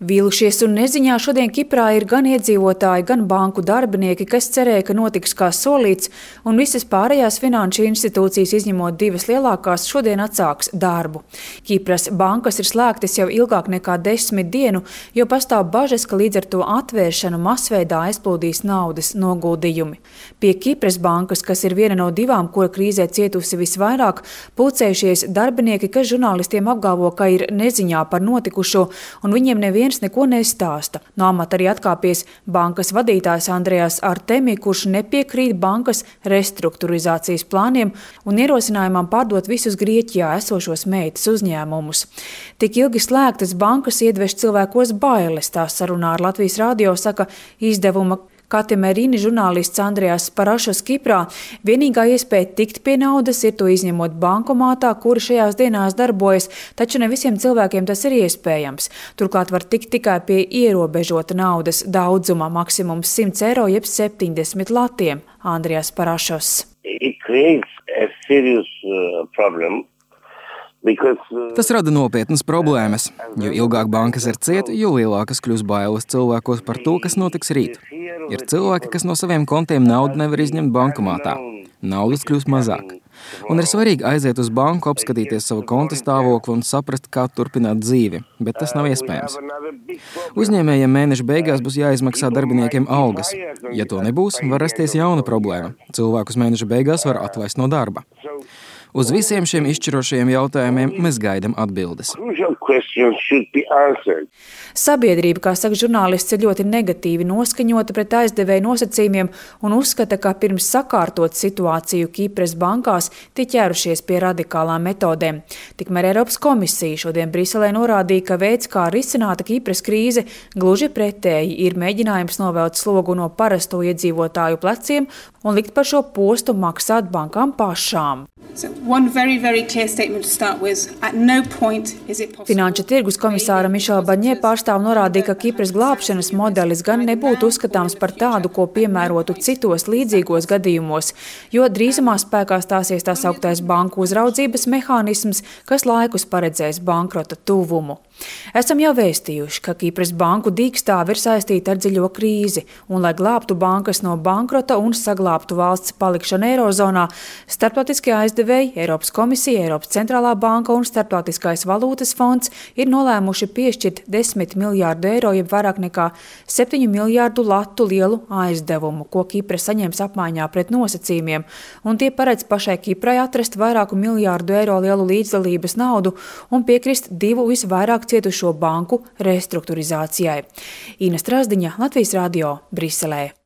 Vīlušies un neziņā šodien Kiprā ir gan iedzīvotāji, gan banku darbinieki, kas cerēja, ka notiks kā solīts, un visas pārējās finanšu institūcijas, izņemot divas lielākās, šodien atsāks darbu. Kipras bankas ir slēgtas jau ilgāk nekā 10 dienu, jo pastāv bažas, ka līdz ar to atvēršanu masveidā aizplūdīs naudas noguldījumi. Pie Kipras bankas, kas ir viena no divām, kura krīzē cietusi visvairāk, pulcējušies darbinieki, kas žurnālistiem apgalvo, ka ir neziņā par notikušo, un viņiem neviens neko nestāsta. No amata arī atkāpies bankas vadītājs Andrejas Artemi, kurš nepiekrīt bankas restruktūrizācijas plāniem un ierosinājumam pārdot visus Grieķijā esošos meitas uzņēmumus. Tik ilgi slēgtas bankas iedveš cilvēkos bailes, tā sarunā ar Latvijas radio saka izdevuma Katemerīni žurnālists Andrejas Parašos Kiprā. Vienīgā iespēja tikt pie naudas ir to izņemot bankomātā, kuri šajās dienās darbojas, taču ne visiem cilvēkiem tas ir iespējams. Turklāt var tikt tikai pie ierobežota naudas daudzuma, maksimums 100 eiro jeb 70 latiem. Andrejas Parašos. Tas rada nopietnas problēmas, jo ilgāk bankas ir cieta, jo lielākas kļūs bailes cilvēkos par to, kas notiks rīt. Ir cilvēki, kas no saviem kontiem naudu nevar izņemt bankomātā. Naudas kļūs mazāk. Un ir svarīgi aiziet uz banku, apskatīties savu konta stāvokli un saprast, kā turpināt dzīvi, bet tas nav iespējams. Uzņēmējiem mēneša beigās būs jāizmaksā darbiniekiem algas. Ja to nebūs, var rasties jauna problēma. Cilvēkus mēneša beigās var atlaist no darba. Uz visiem šiem izšķirošajiem jautājumiem mēs gaidām atbildes. Sabiedrība, kā saka žurnālists, ir ļoti negatīvi noskaņota pret aizdevēju nosacījumiem un uzskata, ka pirms sakārtot situāciju Kipras bankās tie ķērušies pie radikālām metodēm. Tikmēr Eiropas komisija šodien Briselē norādīja, ka veids, kā risināta Kipras krīze, gluži pretēji ir mēģinājums novelt slogu no parasto iedzīvotāju pleciem un likt par šo postu maksāt bankām pašām. Finanšu tirgus komisāra Mišela Baņē pārstāv norādīja, ka Kipras glābšanas modelis gan nebūtu uzskatāms par tādu, ko piemērotu citos līdzīgos gadījumos, jo drīzumā spēkā stāsies tā sauktais banku uzraudzības mehānisms, kas laikus paredzēs bankrota tuvumu. Esam jau vēstījuši, ka Kipras banku dīkstāve ir saistīta ar dziļo krīzi, un, lai glābtu bankas no bankrota un saglābtu valsts palikšanu Eirozonā, starptautiskie aizdevēji, Eiropas komisija, Eiropas centrālā banka un Starptautiskais valūtas fonds ir nolēmuši piešķirt 10 miljārdu eiro, jeb vairāk nekā 7 miljārdu latu lielu aizdevumu, ko Kipra saņems apmaiņā pret nosacījumiem, un tie paredz pašai Kiprai atrast vairāku miljārdu eiro lielu līdzdalības naudu un piekrist divu visvairāk cietušo banku restruktūrizācijai. Ina Strazdiņa, Latvijas radio, Briselē.